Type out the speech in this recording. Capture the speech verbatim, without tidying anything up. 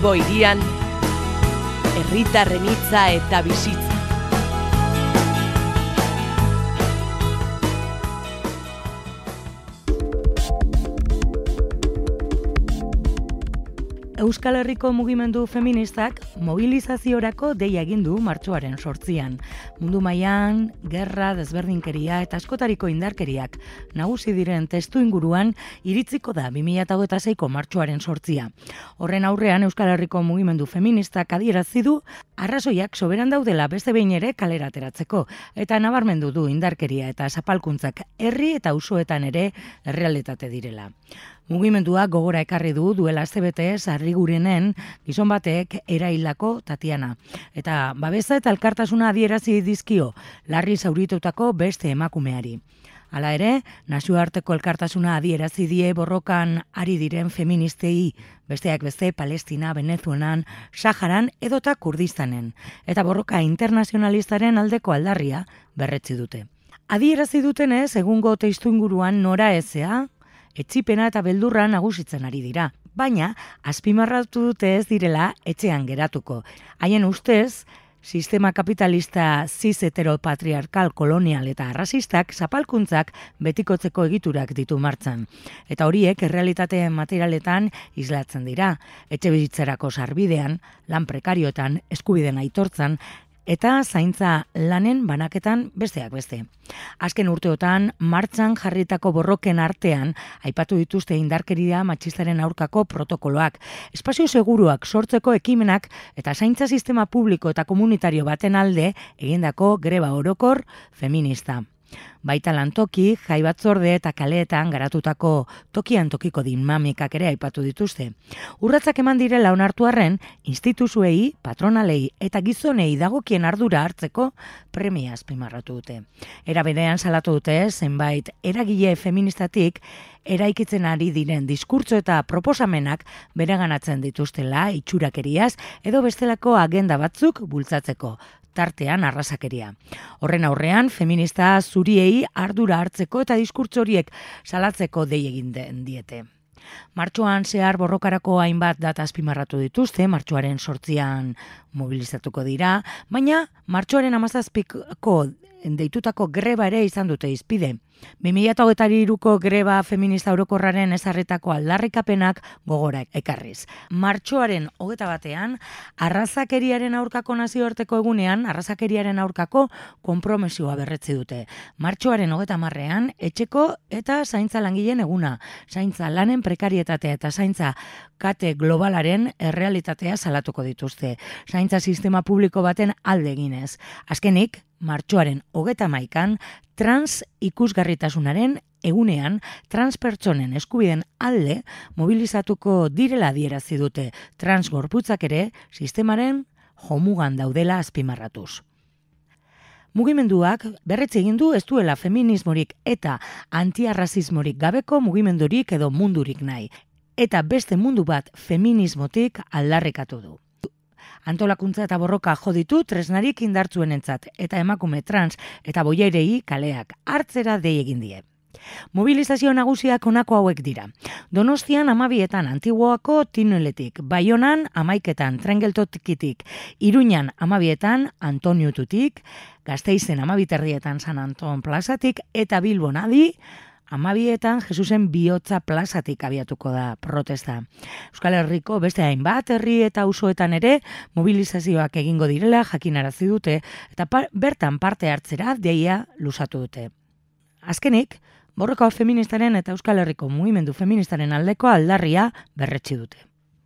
Bilbo hirian, herritarren hitza eta bizitza. Euskal Herriko mugimendu feministak mobilizaziorako deia egin du martxoaren sortzian. Mundu mailan gerra, desberdinkeria eta askotariko indarkeriak nagusi diren testu inguruan iritziko da bi mila hogeita seiko martxoaren sortzia. Horren aurrean Euskal Herriko mugimendu feministak adierazi du arrazoiak soberan daudela beste behin ere kalera ateratzeko eta nabarmendu du indarkeria eta zapalkuntzak herri eta auzoetan ere errealitate direla. Mugimendua gogora ekarri du duela astebete Sarrigurenen gizon batek eraildako Tatiana. Eta babesa eta elkartasuna adierazi dizkio larri zauritutako beste emakumeari. Hala ere, nazioarteko elkartasuna adierazi die borrokan ari diren feministei, besteak beste Palestina, Venezuelan, Saharan edota Kurdistanen. Eta borroka internazionalistaren aldeko aldarria berretsi dute. Adierazi dutenez, egungo testuinguruan nora ezea, etzipena eta beldurra nagusitzen ari dira, baina azpimarratu dute ez direla etxean geratuko. Haien ustez, sistema kapitalista cis heteropatriarkal kolonial eta arrazistak zapalkuntzak betikotzeko egiturak ditu martzan. Eta horiek errealitate materialetan islatzen dira, etxe bizitzarako sarbidean, lan prekarioetan, eskubideen aitortzan, eta zaintza lanen banaketan besteak beste. Azken urteotan, martxan jarritako borroken artean, aipatu dituzte indarkeria matxistaren aurkako protokoloak, espazio seguruak sortzeko ekimenak eta zaintza sistema publiko eta komunitario baten alde egindako greba orokor feminista. Baita lantoki, jai batzorde eta kaleetan garatutako tokian tokiko dinamikak ere aipatu dituzte. Urratsak eman direla onartu arren, instituzuei, patronalei eta gizonei dagokien ardura hartzeko premia azpimarratu dute. Era berean salatu dute zenbait eragile feministatik eraikitzen ari diren diskurtso eta proposamenak bereganatzen dituztela itxurakeriaz edo bestelako agenda batzuk bultzatzeko. Tartean arrasakeria. Horren aurrean, feminista zuriei ardura hartzeko eta diskurtso horiek salatzeko dei egin den diete. Martxoan zehar borrokarako hainbat data azpimarratu dituzte, martxoaren sortzian mobilizatuko dira, baina martxoaren hamazazpiko deitutako greba ere izan dute izpide. bi mila hogeita hiruko greba feminista orokorraren ezarritako aldarrikapenak gogora ekarriz. Martxoaren hogeita batean, arrazakeriaren aurkako nazioarteko egunean, arrazakeriaren aurkako konpromisoa berretzi dute. Martxoaren hogeita hamarrean, etxeko eta zaintza langileen eguna, zaintza lanen prekarietatea eta zaintza kate globalaren errealitatea salatuko dituzte. Zaintza sistema publiko baten alde eginez. Azkenik, martxoaren hogeita hamaikan, trans ikusgarritasunaren egunean transpertsonen eskubideen alde mobilizatuko direla adierazi dute, trans gorputzak ere sistemaren jomugan daudela azpimarratuz. Mugimenduak berretsi egin du ez duela feminismorik eta antiarrazismorik gabeko mugimendurik edo mundurik nahi, eta beste mundu bat feminismotik aldarrikatu du. Antolakuntza eta borroka jo ditu tresnarik indartsuenentzat eta emakume trans eta boierei kaleak hartzera dei egin die. Mobilizazio nagusiak honako hauek dira. Donostian hamabietan Antiguoako Tineletik, Baionan hamaiketan Trengeltokitik, Iruñan hamabietan Antoniututik, Gasteizen hamabiterrietan San Anton plazatik eta Bilbon adi Amabietan Jesusen bihotza plazatik abiatuko da protesta. Euskal Herriko beste hainbat herri eta auzoetan ere mobilizazioak egingo direla jakinarazi dute eta par- bertan parte hartzera deia luzatu dute. Azkenik, borroka feministaren eta Euskal Herriko mugimendu feministaren aldeko aldarria berretsi dute.